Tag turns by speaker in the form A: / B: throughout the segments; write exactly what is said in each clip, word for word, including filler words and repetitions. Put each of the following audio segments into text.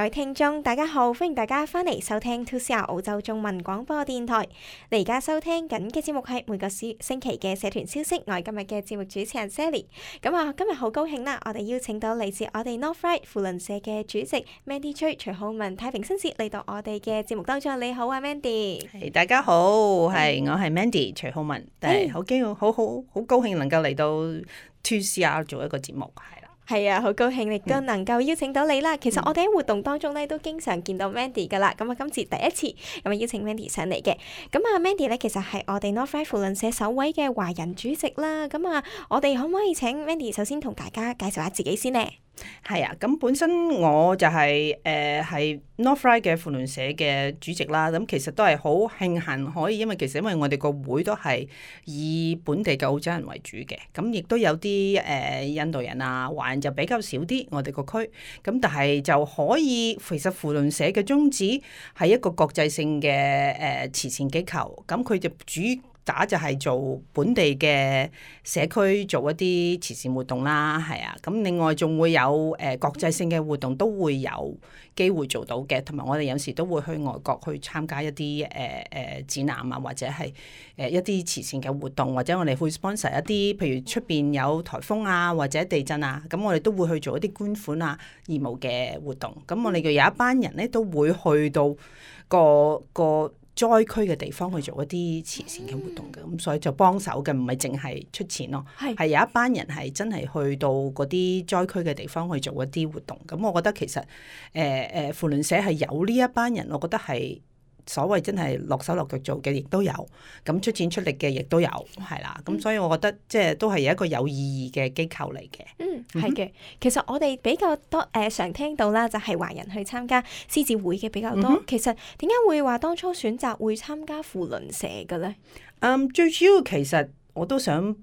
A: 各位聽眾，大家好，歡迎大家翻嚟收聽 two C R 澳洲中文廣播電台。你而家收聽緊嘅節目係每個星期嘅社團消息，我係今日嘅節目主持人 Sally。咁啊，今日好高興啦，我哋邀請到嚟自我哋 Northright 扶輪社嘅主席 Mandy Chui 徐浩文太平紳士嚟到我哋嘅節目當中。你好啊 Mandy。
B: 係、大家好，係、我係 Mandy 徐浩文，係好驚好好好高興能夠嚟到 two C R 做一個節目，係啦。
A: 係啊，好高興亦都能夠邀請到你啦。其實我哋喺活動當中咧都經常見到 Mandy 噶啦。咁啊，今次第一次咁啊邀請 Mandy 上嚟嘅。咁啊 Mandy 咧其實係我哋 Northright 扶輪社首位嘅華人主席啦。咁啊，我哋可唔可以請 Mandy 首先同大家介紹下自己先呢？
B: 係啊，咁本身我就係誒係 Northright 嘅扶輪社嘅主席啦。咁其實都係好慶幸可以，因為其實因為我哋個會都係以本地嘅澳洲人為主嘅，咁亦都有啲誒、呃、印度人啊、華人就比較少啲我哋個區。咁但係就可以，其實扶輪社嘅宗旨係一個國際性嘅誒、呃、慈善機構，咁佢就主打就係做本地嘅社區做一啲慈善活動啦，係啊，咁另外仲會有誒、呃、國際性嘅活動都會有機會做到嘅，同埋我哋有時都會去外國去參加一啲誒誒展覽啊，或者係誒、呃、一啲慈善嘅活動，或者我哋會 sponsor 一啲，譬如出邊有颱風啊或者地震啊，咁我哋都會去做一啲捐款啊義務嘅活動。咁我哋嘅有一班人咧都會去到個個災區嘅地方去做一啲慈善嘅活動嘅，咁、嗯、所以就幫手嘅，唔係淨係出錢咯，係是有一班人係真係去到嗰啲災區嘅地方去做一啲活動。咁我覺得其實誒誒扶輪社係有呢一班人，我覺得係所謂真係落手落腳做嘅，亦都有，咁出錢出力嘅亦都有，係啦。咁所以我覺得即係都係有一個有意義嘅機構嚟嘅。
A: 嗯，係嘅。其實我哋比較多誒、呃、常聽到啦，就係華人去參加獅子會嘅比較多。嗯、哼其實點解會話當初選擇會參加扶輪社嘅咧？
B: 嗯，最主要其實我都想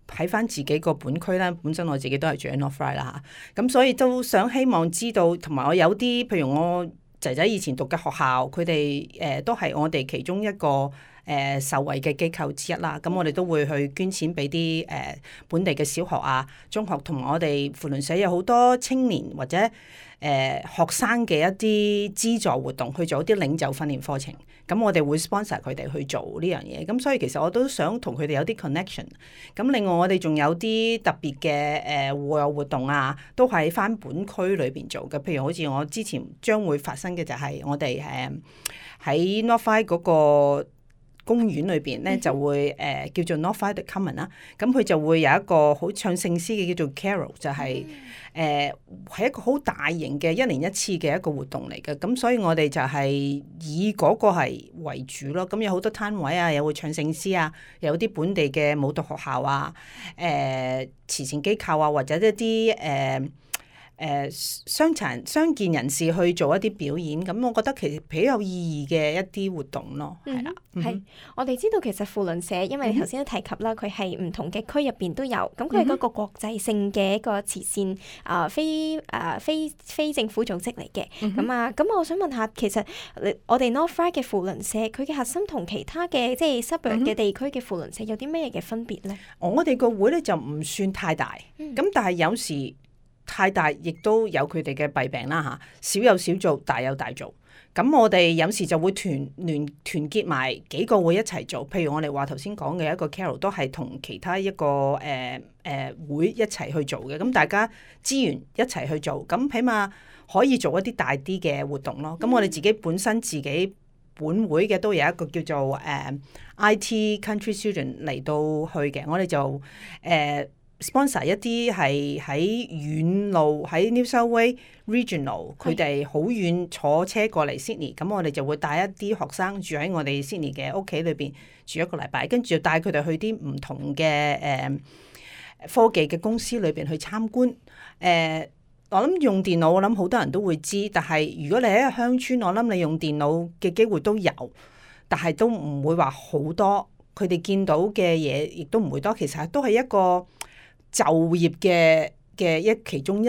B: 喺翻自己個本區啦。本身我自己都係住喺 Northright 啦嚇，咁所以都想希望知道，同埋我有啲譬如我仔仔以前讀嘅學校，佢哋誒都係我哋其中一個誒、呃、受惠嘅機構之一啦。咁我哋都會去捐錢俾啲誒本地嘅小學啊、中學，同埋我哋扶輪社有好多青年或者誒、呃、學生嘅一啲資助活動，去做一啲領袖訓練課程。咁我哋會 sponsor 佢哋去做呢樣嘢。咁所以其實我都想同佢哋有啲 connection。咁另外我哋仲有啲特別嘅誒戶外活動啊，都係翻本區裏邊做嘅。譬如好似我之前將會發生嘅就係我哋誒喺 Northright 嗰個公園裏邊咧，就會誒、呃、叫做 Northright Common 啦。咁佢就會有一個好唱聖詩嘅叫做 Carol，就係誒係一個好大型嘅一年一次嘅一個活動嚟嘅。咁所以我哋就係以嗰個係為主咯。咁有好多攤位啊，又會唱聖詩啊，有啲本地嘅舞蹈學校啊、誒、呃、慈善機構啊，或者一啲誒。呃誒傷殘傷健人士去做一啲表演，咁我覺得其實比較有意義嘅一啲活動咯，係啦、
A: 嗯。係、嗯，我哋知道其實扶輪社，因為你頭先都提及啦，佢係唔同嘅區入邊都有，咁佢係嗰個國際性嘅一個慈善啊、呃、非啊、呃、非非政府組織嚟嘅。咁、嗯、啊，咁我想問下，其實我哋 Northright 嘅扶輪社，佢嘅核心同其他嘅即係 suburb 嘅地區嘅扶輪社有啲咩嘅分別咧？
B: 我哋個會咧就唔算太大，咁、嗯、但係有時太大，亦都有佢哋嘅弊病啦嚇。小有小做，大有大做。咁我哋有時就會團聯團結埋幾個會一齊做。譬如我哋話頭先講嘅一個 Carol 都係同其他一個誒誒、呃呃、會一齊去做嘅。咁大家資源一齊去做，咁起碼可以做一啲大啲嘅活動咯。咁我哋自己本身自己本會嘅都有一個叫做誒、呃、I T Country Student 嚟到去嘅。我哋就誒。呃sponsor 一啲係喺遠路喺 New South Wales Regional，佢哋好遠坐車過嚟 Sydney，咁我哋就會帶一啲學生住喺我哋 Sydney 嘅屋企裏邊住一個禮拜，跟住帶佢哋去啲唔同嘅誒、呃、科技嘅公司裏邊去參觀。誒、呃，我諗用電腦，我諗好多人都會知，但係如果你喺鄉村，我諗你用電腦嘅機會都有，但係都唔會話好多。佢哋見到嘅嘢亦都唔會多，其實都係一個就業嘅嘅一其中一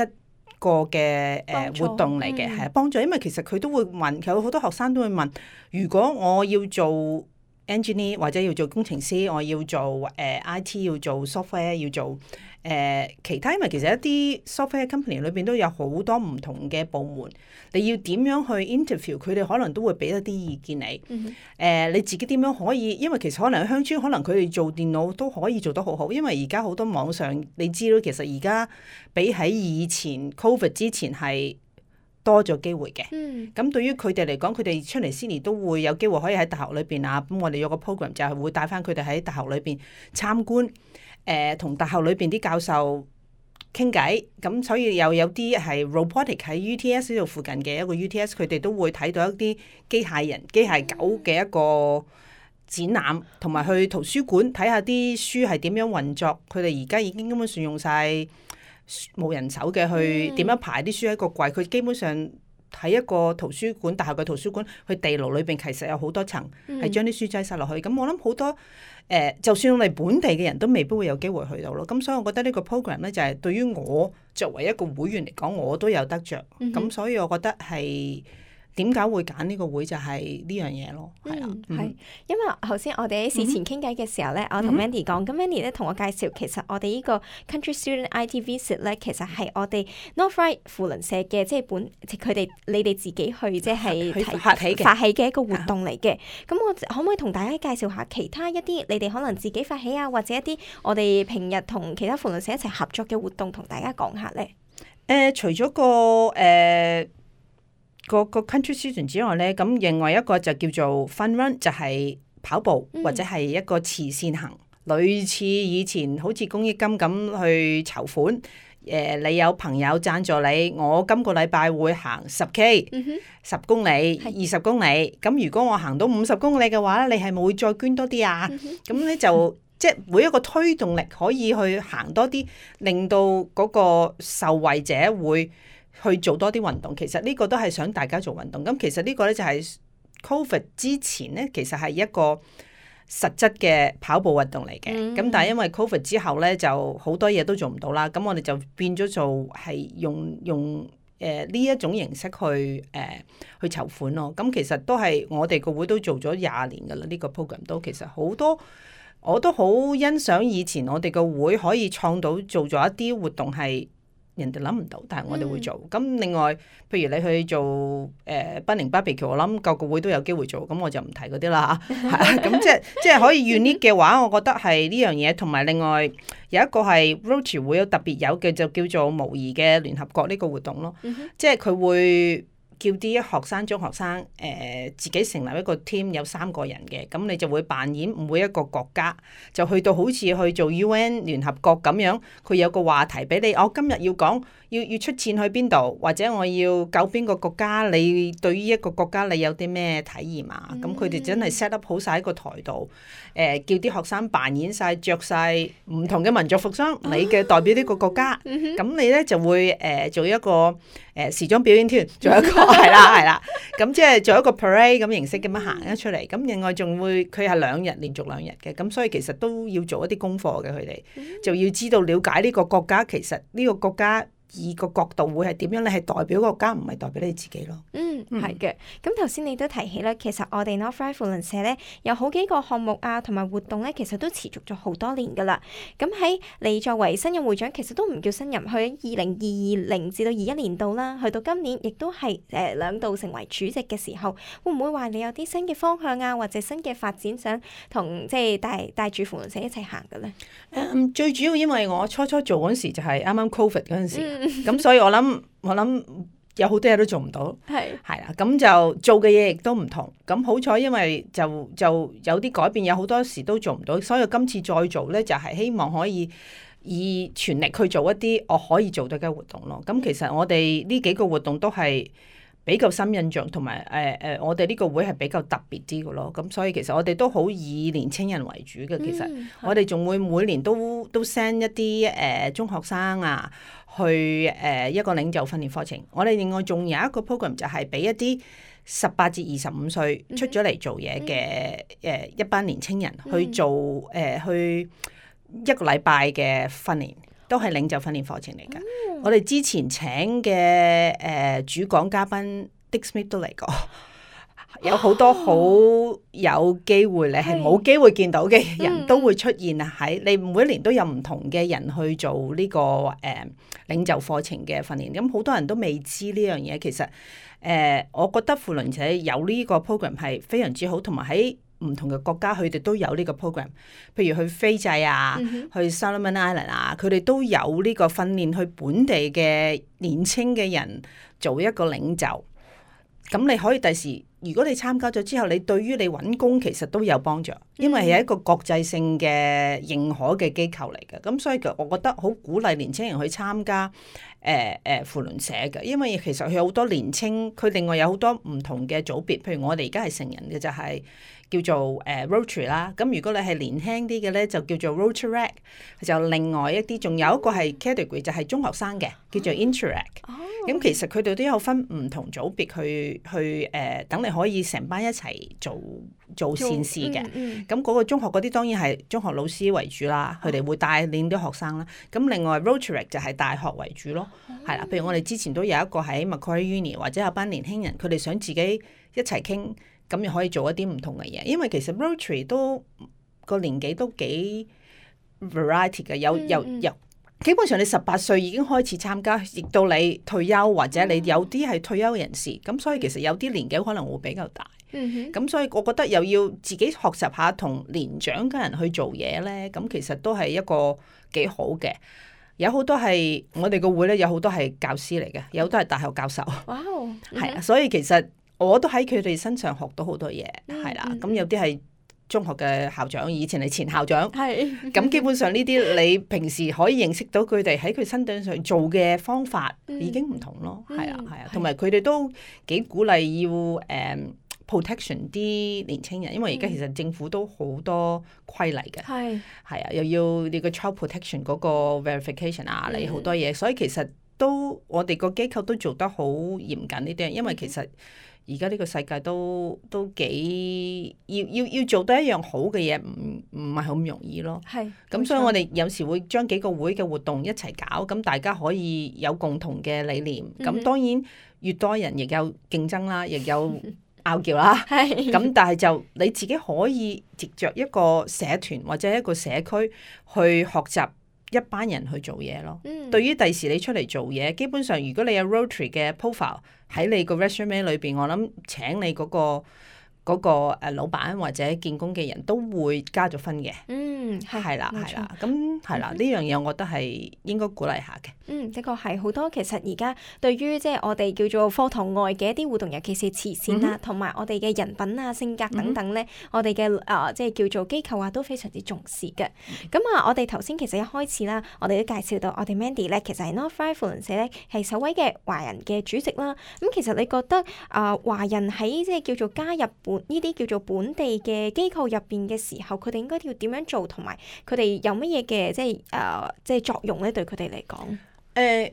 B: 個嘅誒、呃、活動嚟嘅，係幫助。因為其實佢都會問，有好多學生都會問，如果我要做 engineer 或者要做工程師，我要做誒、呃、I T 要做 software 要做誒、呃、其他，因為其實一啲 software company 裏邊都有好多唔同嘅部門，你要點樣去 interview 佢哋，可能都會俾一啲意見你。誒、
A: 嗯
B: 呃、你自己點樣可以？因為其實可能喺鄉村，可能佢哋做電腦都可以做得好好，因為而家好多網上你知道，其實而家比喺以前 COVID 之前係多咗機會嘅，咁、嗯、對於佢哋嚟講，佢哋出嚟 Sydney 都會有機會可以喺大學裏邊啊。咁我哋有個 program 就係會帶翻佢哋喺大學裏邊參觀，誒、呃、同大學裏邊啲教授傾偈。咁所以又有啲係 robotic 喺 U T S 呢度附近嘅一個 U T S，佢哋都會睇到一啲機械人、機械狗嘅一個展覽，同埋去圖書館睇下啲書係點樣運作。佢哋而家已經根本上用晒冇人手嘅去點樣排啲書喺個櫃，佢基本上喺一個圖書館，大學嘅圖書館，佢地牢裏邊其實有好多層，係將啲書擠晒落去。咁我諗好多誒、呃，就算我哋本地嘅人都未必會有機會去到咯。咁所以我覺得呢個 program 咧就係、是、對於我作為一個會員嚟講，我都有得着。咁、嗯、所以我覺得係。點解會揀呢個會就係呢樣嘢咯，係啊，
A: 係、嗯、因為頭先我哋喺事前傾偈嘅時候咧，嗯、我同 Mandy 講，咁 Mandy 咧同我介紹，其實我哋呢個 Country Student I T Visit 咧，其實係我哋 Northright 扶輪社嘅，即係本佢哋你哋自己去即係
B: 發起嘅
A: 發起嘅一個活動嚟嘅。咁我可唔可以同大家介紹下其他一啲你哋可能自己發起啊，或者一啲我哋平日同其他扶輪社一齊合作嘅活動，同大家講下咧？
B: 誒、呃，除咗個誒。呃個個 country student 之外咧，咁另外一個就叫做 fun run，就係跑步、嗯、或者係一個慈善行，類似以前好似公益金咁去籌款。誒、呃，你有朋友贊助你，我今個禮拜會行十 K，十公里、二十公里。咁如果我行到五十公里嘅話咧，你係咪會再捐多啲啊？咁咧、嗯、就即係每一個推動力可以去行多啲，令到嗰個受惠者會去做多啲運動，其實呢個都係想大家做運動。咁其實呢個咧就係 COVID 之前咧，其實係一個實質嘅跑步運動嚟嘅。咁、嗯、但係因為 COVID 之後咧，就好多嘢都做唔到啦。咁我哋就變咗做係用用誒呢一種形式去誒、呃、去籌款咯。咁其實都係我哋個會都做咗廿年噶啦。呢、呢個 program 都其實好多，我都好欣賞以前我哋個會可以創到做咗一啲活動係人哋諗唔到，但係我哋會做。咁、嗯、另外，譬如你去做誒賓寧 barbecue，我諗個個會都有機會做，咁我就唔提嗰啲啦嚇。咁即係即係可以 unique 嘅話，我覺得係呢樣嘢。同埋另外有一個係 Rotary 會有特別有嘅，就叫做模擬嘅聯合國呢個活動咯。嗯、哼即係佢會叫啲學生、中學生誒、呃、自己成立一個 team，有三個人嘅，咁你就會扮演每一個國家，就去到好似去做 U N 聯合國咁樣，佢有個話題俾你，我、哦、今日要講要要出戰去邊度，或者我要救邊個國家，你對於一個國家你有啲咩體驗啊？咁佢哋真係 set up 好晒喺個台度，誒、呃、叫啲學生扮演晒着晒唔同嘅民族服裝，你嘅代表呢個國家，咁你咧就會誒、呃、做一個誒、呃、時裝表演團，做一個係啦係啦，咁即係做一個 parade 咁形式咁樣行咗出嚟。咁另外仲會佢係兩日連續兩日嘅，咁所以其實都要做一啲功課嘅，佢哋就要知道了解呢個國家，其實呢個國家以個角度會係點樣？你係代表國家，唔係代表你自己咯。嗯，
A: 係嘅。咁頭先你都提起啦，其實我哋 Northright 扶輪社咧有好幾個項目啊，同埋活動咧，其實都持續咗好多年噶啦。咁喺你作為新任會長，其實都唔叫新任，去二零二零至到二一年度啦，去到今年亦都係誒兩度成為主席嘅時候，會唔會話你有啲新嘅方向啊，或者新嘅發展想同即係帶帶住扶輪社一齊行嘅咧？
B: 誒、um, 最主要因為我初初做嗰陣時就係啱啱 Covid 嗰陣時，咁、嗯、所以我諗我諗有好多嘢都做唔到，係係啦，咁就做嘅嘢亦都唔同。咁好彩，因為就就有啲改變，有好多時都做唔到，所以今次再做咧，就係、是、希望可以以全力去做一啲我可以做到嘅活動咯。咁其實我哋呢幾個活動都係比較深印象，同埋誒誒，我哋呢個會係比較特別啲嘅咯。咁所以其實我哋都好以年青人為主嘅。其實我哋仲會每年都都 send 一啲誒、呃、中學生啊去誒、呃、一個領袖訓練課程。我哋另外仲有一個 program 就係俾一啲十八至二十五歲出咗嚟做嘢嘅誒一班年青人去做誒、呃、去一個禮拜嘅訓練。都係領袖訓練課程嚟㗎。嗯、我哋之前請嘅誒、呃、主講嘉賓 Dick Smith 都嚟過，有好多好有機會你係冇機會見到嘅人都會出現喺你每一年都有唔同嘅人去做呢、這個誒、呃、領袖課程嘅訓練。咁好多人都未知呢樣嘢，其實誒、呃，我覺得扶輪社有呢個 program 係非常之好，同埋喺唔同嘅國家佢哋都有呢個 program。譬如去斐濟啊，嗯、去 Solomon Island 啊，佢哋都有呢個訓練去本地嘅年青嘅人做一個領袖。咁你可以第時，如果你參加咗之後，你對於你揾工其實都有幫助，因為係一個國際性嘅認可嘅機構嚟嘅。咁所以我覺得好鼓勵年青人去參加誒誒扶輪社嘅，因為其實佢有好多年青，佢另外有好多唔同嘅組別。譬如我哋而家係成人嘅就係、是。叫做誒、uh, Rotary 啦，咁如果你係年輕啲嘅咧，就叫做 Rotaract，就另外一啲，仲有一個係 category 就係中學生嘅，叫做 Interact。咁、oh. 其實佢哋都有分唔同組別去去誒、呃，等你可以成班一齊做做善事嘅。咁嗰、嗯嗯、個中學嗰啲當然係中學老師為主啦，佢哋、oh. 會帶領啲學生啦。咁另外 Rotaract 就係大學為主咯，係啦、oh.。譬如我哋之前都有一個喺 Macquarie Uni，或者有班年輕人，佢哋想自己一齊傾。咁又可以做一啲唔同嘅嘢，因為其實 Rotary 都個年紀都幾 variety 嘅，有有有，基本上你十八歲已經開始參加，亦到你退休或者你有啲係退休人士，咁所以其實有啲年紀可能會比較大。咁所以我覺得又要自己學習下同年長嘅人去做嘢咧，咁其實都係一個幾好嘅。有好多係我哋個會咧，有好多係教師嚟嘅，有好多係大學教授。哇！係啊，所以其實。我都喺佢哋身上學到好多嘢，係啦、嗯。咁有啲係中學嘅校長，以前係前校長。係。咁基本上呢啲你平時可以認識到佢哋喺佢身頂上做嘅方法已經唔同咯。係啊、嗯，係啊。同埋佢哋都幾鼓勵要誒、um, protection 啲年青人，因為而家其實政府都好多規例嘅。係。係啊，又要你個 child protection 嗰個 verification 啊，你好多嘢，所以其實都我哋個機構都做得好嚴謹呢啲，因為其實。而家呢個世界都都幾要要要做得一樣好嘅嘢，唔唔係好容易咯。係，咁所以我哋有時會將幾個會嘅活動一齊搞，咁大家可以有共同嘅理念。咁、嗯、當然越多人亦有競爭啦，亦有拗撬啦。係，咁但係就你自己可以藉着一個社團或者一個社區去學習。一班人去做嘢咯。嗯、對於第時你出嚟做嘢，基本上如果你有 Rotary 嘅 profile 喺你個 resume 裏邊，我諗請你嗰、嗰個。嗰個誒老闆或者見工嘅人都會加咗分嘅。嗯，係啦，係啦，咁係啦，呢樣嘢我覺得係應該鼓勵下嘅。嗯，的確係好多。其實而家對於即係我哋叫做課堂外嘅一啲活動，尤其是慈善啊，同埋、嗯、我哋嘅人品啊、性格等等咧，嗯、我哋嘅誒即係叫做機構啊，都非常之重視嘅。咁啊、嗯，我哋頭先其實一開始啦，我哋都介紹到我哋 Mandy 咧，其實係 Northright 扶輪社咧係首位嘅華人嘅主席啦。咁其實你覺得啊、呃，華人喺即係叫做加入本呢啲叫做本地嘅機構入邊嘅時候，佢哋應該要點樣做，同埋佢哋有乜嘢嘅即係誒、呃、即係作用咧？對佢哋嚟講，誒、呃，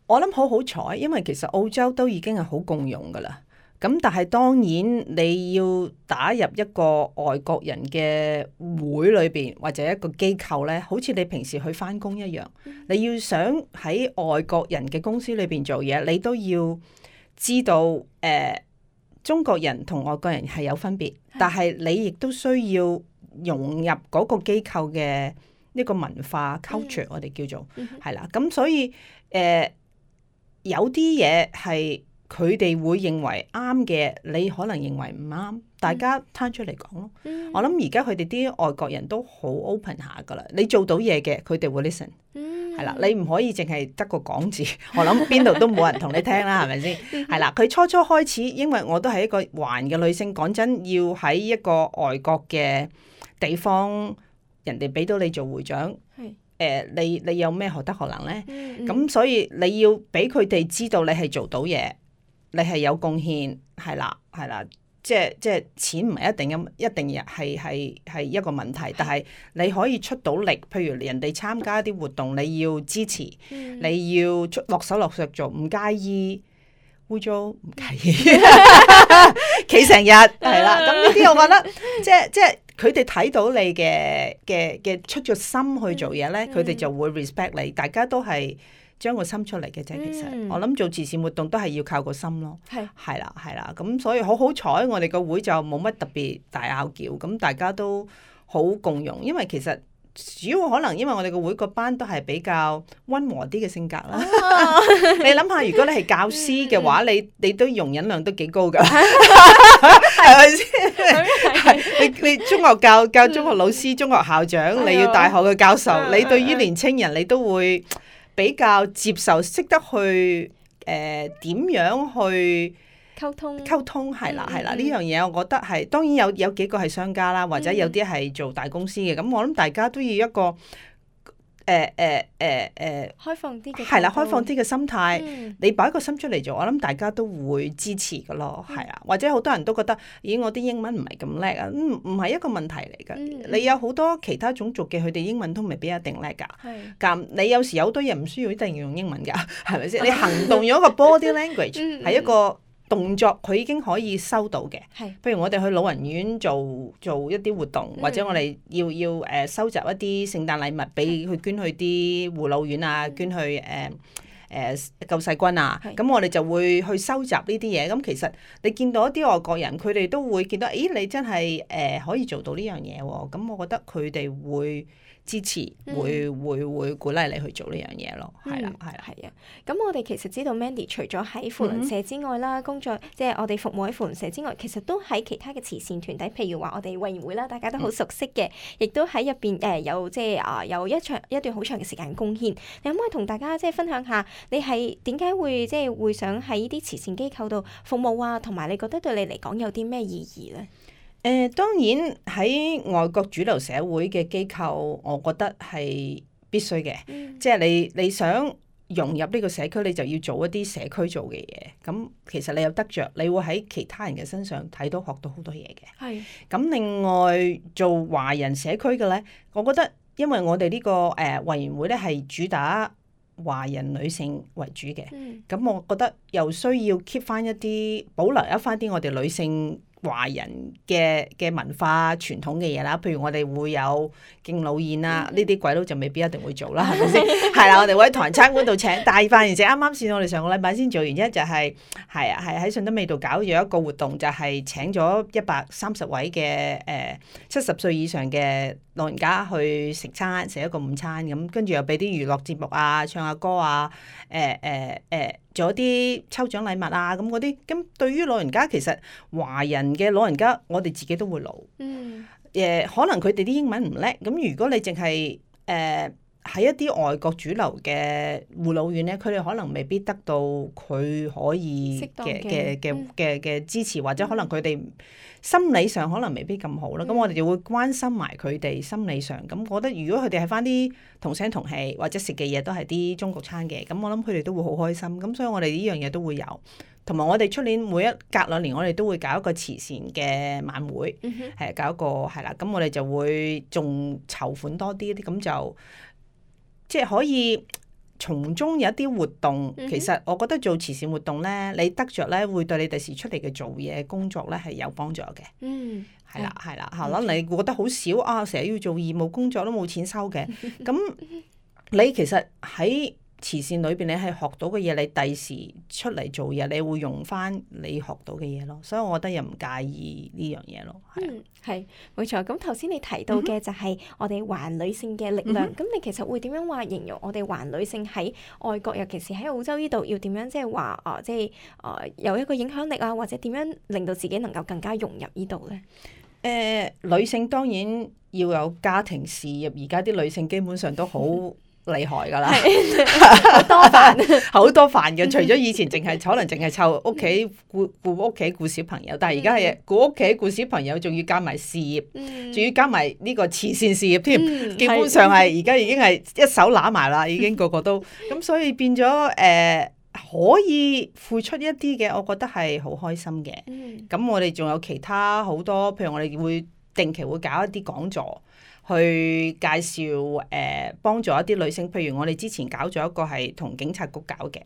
B: 我諗好好彩，因為其實澳洲都已經係好共用噶啦。咁但係當然你要打入一個外國人嘅會裏邊或者一個機構咧，好似你平時去返工一樣，嗯、你要想喺外國人嘅公司裏邊做嘢，你都要知道誒。呃中國人同外國人係有分別，但係你亦都需要融入嗰個機構嘅呢個文化 culture，我哋叫做係啦。咁所以誒、呃、有啲嘢係佢哋會認為啱嘅，你可能認為唔啱，大家攤出嚟講咯。嗯、我諗而家佢哋啲外國人都好 open 下噶啦，你做到嘢嘅，佢哋會 listen。係啦，你唔可以淨係得個講字，我諗邊度都冇人同你聽啦，係咪先？係啦，佢初初開始，因為我都係一個華人嘅女性，講真，要喺一個外國嘅地方，人哋俾到你做會長，誒是、呃，你你有咩學得學能咧？咁、嗯、所以你要俾佢哋知道你係做到嘢，你係有貢獻，係啦，係啦。即係即係錢唔係一定咁，一定係係係一個問題。但係你可以出到力，譬如人哋參加啲活動，你要支持，嗯、你要出落手落腳做，唔介意污糟，唔介意企成日係啦。咁呢啲我覺得即係即係佢哋睇到你嘅嘅嘅出咗心去做嘢咧，佢哋、嗯、就會 respect 你。大家都係將個心出嚟嘅啫。其實、
A: 嗯、
B: 我諗做慈善活動都係要靠個心咯。
A: 係
B: 係啦係啦，咁所以好好彩，我哋個會就冇乜特別大拗撬，咁大家都好共融，因為其實。主要可能因為我哋個會個班都係比較溫和啲嘅性格啦。哦、你諗下，如果你係教師嘅話，嗯、你你都容忍量都幾高㗎，係咪先？你你中學教教中學老師、中學校長，嗯、你要大學嘅教授，嗯、你對於年青人你都會比較接受，識得去誒點、呃、樣去。
A: 溝通
B: 溝通係啦係啦，呢樣嘢我覺得係當然有有幾個係商家啦，或者有啲係做大公司嘅，咁、嗯、我諗大家都要一個誒誒誒誒
A: 開放啲嘅
B: 係啦，開放啲嘅心態，
A: 嗯、你
B: 擺個心出嚟做，我諗大家都會支持㗎咯，係啊、嗯，或者好多人都覺得咦我啲英文唔係咁叻啊，唔唔係一個問題嚟㗎，嗯、你有好多其他種族嘅佢哋英文都未必一定叻㗎，咁是你有時有好多嘢唔需要一定要用英文㗎，係咪先？你行動用一個 body language 係一個。動作佢已經可以收到嘅，係譬如我哋去老人院做做一啲活動，嗯、或者我哋要要誒、呃、收集一啲聖誕禮物俾佢捐去啲護老院啊，捐去誒誒、呃呃、救世軍啊，咁是我哋就會去收集呢啲嘢。咁其實你見到一啲外國人，佢哋都會見到，咦你真係誒、呃、可以做到呢樣嘢喎，咁我覺得佢哋會。支持會、嗯、會會鼓勵你去做呢樣嘢咯，係啦係啦
A: 係啊。咁我哋其實知道 Mandy 除咗喺扶輪社之外啦，嗯、工作即係我哋服務喺扶輪社之外，其實都喺其他嘅慈善團體，譬如話我哋委員會啦，大家都好熟悉嘅，亦、嗯、都喺入邊誒有即係啊有一長一段好長嘅時間貢獻。你可唔可以同大家即係分享下，你係點解會即係會想喺呢啲慈善機構度服務啊？同埋你覺得對你嚟講有啲咩意義咧？
B: 誒、呃、當然喺外國主流社會嘅機構，我覺得係必須嘅。嗯、即係你你想融入呢個社區，你就要做一啲社區做嘅嘢。咁其實你有得着，你會喺其他人嘅身上睇到學到好多嘢嘅。係是。咁另外做華人社區嘅咧，我覺得因為我哋呢、這個誒、呃、委員會咧係主打華人女性為主嘅。嗯。咁我覺得又需要 keep 翻一啲保留一翻啲我哋女性。華人嘅嘅文化傳統嘅嘢啦，譬如我哋會有敬老宴啦，呢啲鬼佬就未必一定會做啦，係咪先？係啦，我哋會喺唐人餐館度請大飯，而且啱啱先我哋上個禮拜先做完一，就係係啊係喺順德味道搞咗一個活動，就係、是、請咗一百三十位嘅誒七十歲以上嘅老人家去食餐食一個午餐咁，跟住又俾啲娛樂節目啊，唱下歌啊，誒誒誒做一啲抽獎禮物啊咁嗰啲，咁對於老人家其實華人嘅老人家，我哋自己都會老。嗯。誒、呃，可能佢哋啲英文唔叻，咁如果你淨係誒喺一啲外國主流嘅護老院咧，佢哋可能未必得到佢可以嘅嘅嘅嘅嘅支持，或者可能佢哋心理上可能未必咁好啦。咁、嗯、我哋就會關心埋佢哋心理上。咁我覺得如果佢哋係返啲同聲同氣，或者食嘅嘢都係啲中國餐嘅，咁我諗佢哋都會好開心。咁所以我哋呢樣嘢都會有。同埋我哋出年每一隔兩年，我哋都會搞一個慈善嘅晚會，係、嗯、哼搞一個係啦。咁我哋就會仲籌款多啲啲，咁就即係可以從中有一啲活動。嗯、哼其實我覺得做慈善活動咧，你得着咧會對你第時出嚟嘅做嘢工作咧係有幫助嘅。嗯，係啦係啦，可能你覺得好少啊，成日要做義務工作都冇錢收嘅。咁你其實喺慈善裏邊你係學到嘅嘢，你第時出嚟做嘢，你會用翻你學到嘅嘢咯。所以我覺得又唔介意呢樣嘢咯。
A: 嗯，係冇錯。咁頭先你提到嘅就係我哋華女性嘅力量。咁、嗯、哼你其實會點樣話形容我哋華女性喺外國，尤其是喺澳洲呢度，要點樣即係話啊，即係啊有一個影響力啊，或者點樣令到自己能夠更加融入呢度咧？
B: 誒、呃，女性當然要有家庭事業，而家啲女性基本上都好厲害噶啦，
A: 好多煩，
B: 好多煩嘅。除咗以前淨係可能淨係湊屋企顧顧屋企顧小朋友，但係而家係顧屋企顧小朋友，仲要加埋事業，仲、嗯、要加埋呢個慈善事業添。嗯、基本上係而家已經係一手揦埋啦，已經個個都咁，所以變咗誒、呃、可以付出一啲嘅，我覺得係好開心嘅。咁、嗯、我哋仲有其他好多，譬如我哋會定期會搞一啲講座。去介紹誒、呃、幫助一啲女性，譬如我哋之前搞咗一個係同警察局搞嘅，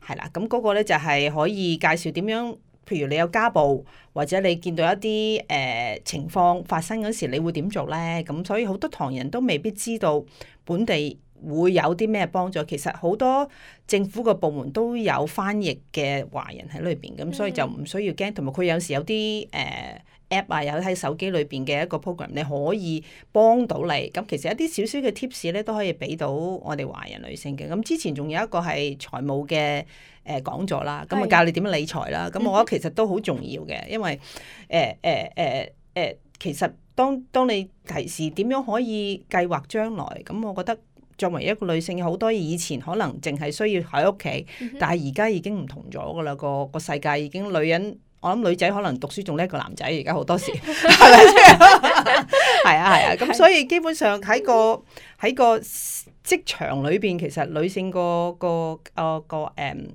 B: 係啦是，咁嗰個咧就係可以介紹點樣，譬如你有家暴或者你見到一啲誒、呃、情況發生嗰時，你會點做咧？咁所以好多唐人都未必知道本地會有啲咩幫助？其實好多政府個部門都有翻譯嘅華人喺裏邊，咁所以就唔需要驚。同埋佢有時有啲誒、呃、app 啊，有喺手機裏邊嘅一個 program，你可以幫到你。咁其實一啲少少嘅 tips 咧都可以俾到我哋華人女性嘅。咁之前仲有一個係財務嘅誒、呃、講座啦，咁啊教你點樣理財啦。咁我覺得其實都好重要嘅，因為誒誒誒誒，其實當當你提示點樣可以計劃將來，咁我覺得。作為一個女性，好多以前可能淨係需要喺屋企，嗯、哼但係而家已經唔同咗噶啦。個個世界已經女人，我諗女仔可能讀書仲叻過男仔，而家好多時係咪先？係啊係啊，咁、啊、所以基本上喺個喺個職場裏邊，其實女性個個個個誒。嗯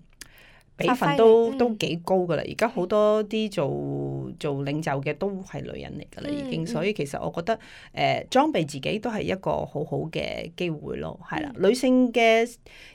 B: 比分都、嗯、都幾高噶啦，而家好多啲做做領袖嘅都係女人嚟噶啦，已經，所以其實我覺得誒、呃、裝備自己都係一個好好嘅機會咯，係啦，嗯、女性嘅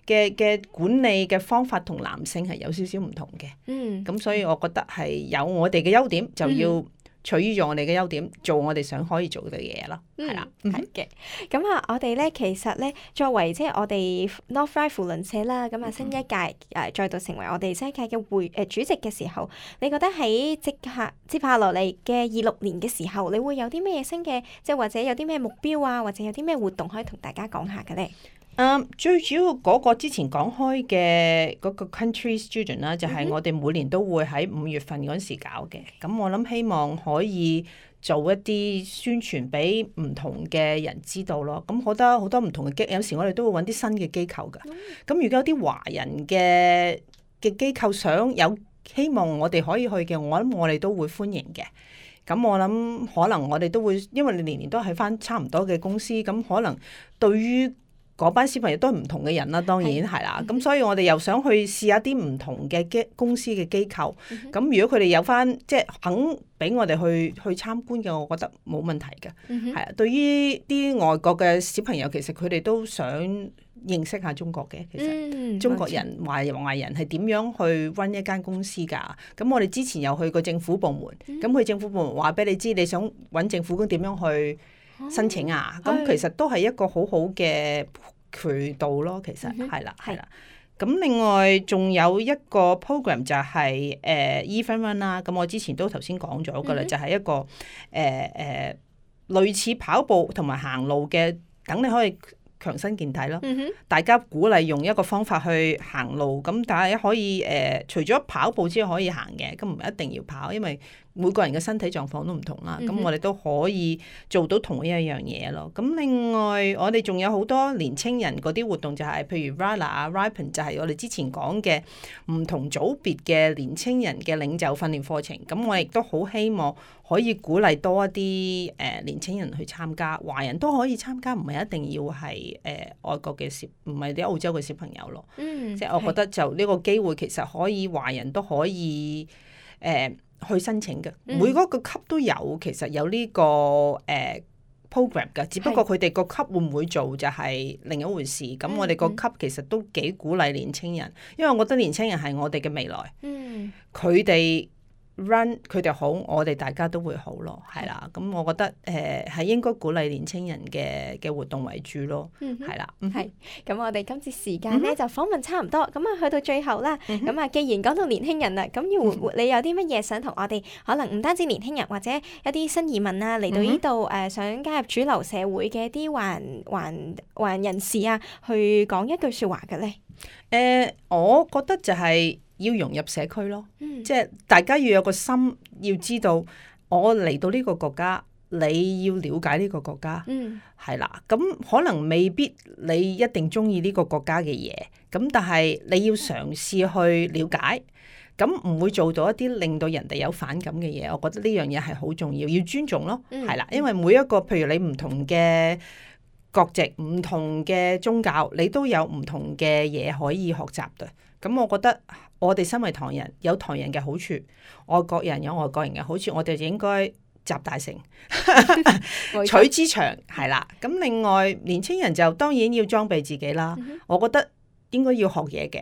B: 嘅嘅管理嘅方法同男性係有少少唔同嘅，嗯，咁所以我覺得係有我哋嘅優點就要、嗯。取於咗我哋嘅優點，做我哋想可以做嘅嘢咯，係啦、
A: 嗯，係嘅。咁啊，我哋咧其實咧，作為即係我哋 Northright 扶輪社啦，咁啊新一屆誒、呃、再度成為我哋新一屆嘅會誒、呃、主席嘅時候，你覺得喺即刻接下落嚟嘅二六年嘅時候，你會有啲咩新嘅，即係或者有啲咩目標啊，或者有啲咩活動可以同大家講下嘅咧？
B: 嗯，um, 最主要嗰個之前講開嘅嗰個 country student 啦，就係我哋每年都會喺五月份嗰時搞嘅。咁我諗希望可以做一啲宣傳俾唔同嘅人知道咯。咁好多好多唔同嘅機，有時我哋都會揾啲新嘅機構㗎。咁如果有啲華人嘅嘅機構想有希望我哋可以去嘅，我諗我哋都會歡迎嘅。咁我諗可能我哋都會，因為你年年都係返差唔多嘅公司，咁可能對於嗰班小朋友都係唔同嘅人啦，當然係啦。咁所以我哋又想去試下啲唔同嘅機公司嘅機構。咁、嗯、哼如果佢哋有翻即係肯俾我哋去去參觀嘅，我覺得冇問題嘅。係啊、嗯哼，對於啲外國嘅小朋友，其實佢哋都想認識下中國嘅。其實中國人、華人、華人係點樣去 run 一間公司㗎？咁我哋之前有去過政府部門，咁佢、嗯、政府部門話俾你知，你想揾政府工點樣去申請啊？咁、哦、其實都係一個好好嘅渠道咯。其實係啦，係啦。咁另外仲有一個 program 就係、是、誒、呃、Even Run 啦。咁我之前都頭先講咗噶啦，嗯、哼就係一個誒誒、呃呃、類似跑步同埋行路嘅，等你可以強身健體咯。嗯、哼大家鼓勵用一個方法去行路，咁大家可以誒、呃、除咗跑步之外可以行嘅，咁唔一定要跑，因為每個人嘅身體狀況都唔同啦，咁、嗯、哼我哋都可以做到同一樣嘢咯。咁另外我哋仲有好多年青人嗰啲活動、就是，就係譬如 Rala 啊、Ripen，就係我哋之前講嘅唔同組別嘅年青人嘅領袖訓練課程。咁我亦都好希望可以鼓勵多一啲誒、呃、年青人去參加，華人都可以參加，唔係一定要係誒、呃、外國嘅小，唔係啲澳洲嘅小朋友咯。嗯、即係我覺得就呢個機會其實可以華人都可以誒。呃去申請嘅，每嗰個級都有，其實有呢、這個誒、呃、program 嘅，只不過佢哋個級會唔會做就係另一回事。咁是我哋個級其實都幾鼓勵年青人，因為我覺得年青人係我哋嘅未來。嗯，佢哋 run 佢哋好，我哋大家都會好咯，係啦。咁我覺得誒係、呃、應該鼓勵年青人嘅嘅活動為主咯，係啦。
A: 係，咁我哋今次時間咧就訪問差唔多，咁啊去到最後啦，咁啊既然講到年輕人啦，咁要你有啲乜嘢想同我哋可能唔單止年輕人或者一啲新移民啊嚟到呢度誒想加入主流社會嘅一啲華人華人華人人士啊，去講一句説話嘅咧？誒、
B: 呃，我覺得就係要融入社區咯，嗯、即係大家要有個心，要知道我嚟到呢個國家，你要了解呢個國家，係啦、嗯。咁可能未必你一定中意呢個國家嘅嘢，咁但係你要嘗試去了解，咁唔會做到一啲令到人哋有反感嘅嘢。我覺得呢樣嘢係好重要，要尊重咯，係啦、嗯。因為每一個譬如你唔同嘅國籍、唔同嘅宗教，你都有唔同嘅嘢可以學習嘅。咁我覺得我哋身為唐人有唐人嘅好處，外國人有外國人嘅好處，我哋就應該集大成，取之長係啦。咁另外年青人就當然要裝備自己啦。嗯、哼我覺得應該要學嘢嘅，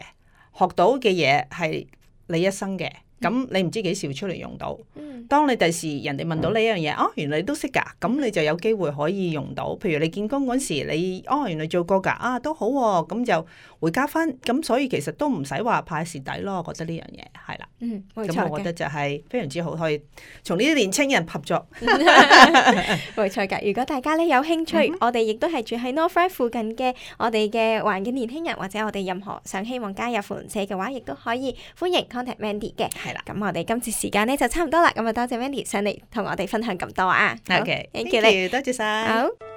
B: 學到嘅嘢係你一生嘅。咁你唔知幾時會出嚟用到。
A: 嗯
B: 當你第時人哋問到你一樣嘢，哦，原來你都識㗎，咁你就有機會可以用到。譬如你見工嗰時，你哦原來做過㗎，啊都好喎，咁就會加分。咁所以其實都唔使話派蝕底咯，我覺得呢樣嘢係啦。
A: 嗯，冇
B: 咁
A: 錯嘅，
B: 我覺得就係非常之好，可以從呢啲年青人合作。
A: 冇錯㗎。如果大家咧有興趣，
B: 嗯哼
A: 我哋亦都係住喺 North Ryde 附近嘅我哋嘅環嘅年輕人，或者我哋任何想希望加入扶輪社嘅話，亦都可以歡迎 contact Mandy 嘅。
B: 係啦。
A: 咁我哋今次時間咧就差唔多啦，咁啊多謝 Mandy 上嚟同我哋分享咁多啊。好
B: OK，
A: thank you 你。
B: 多謝晒。
A: 好。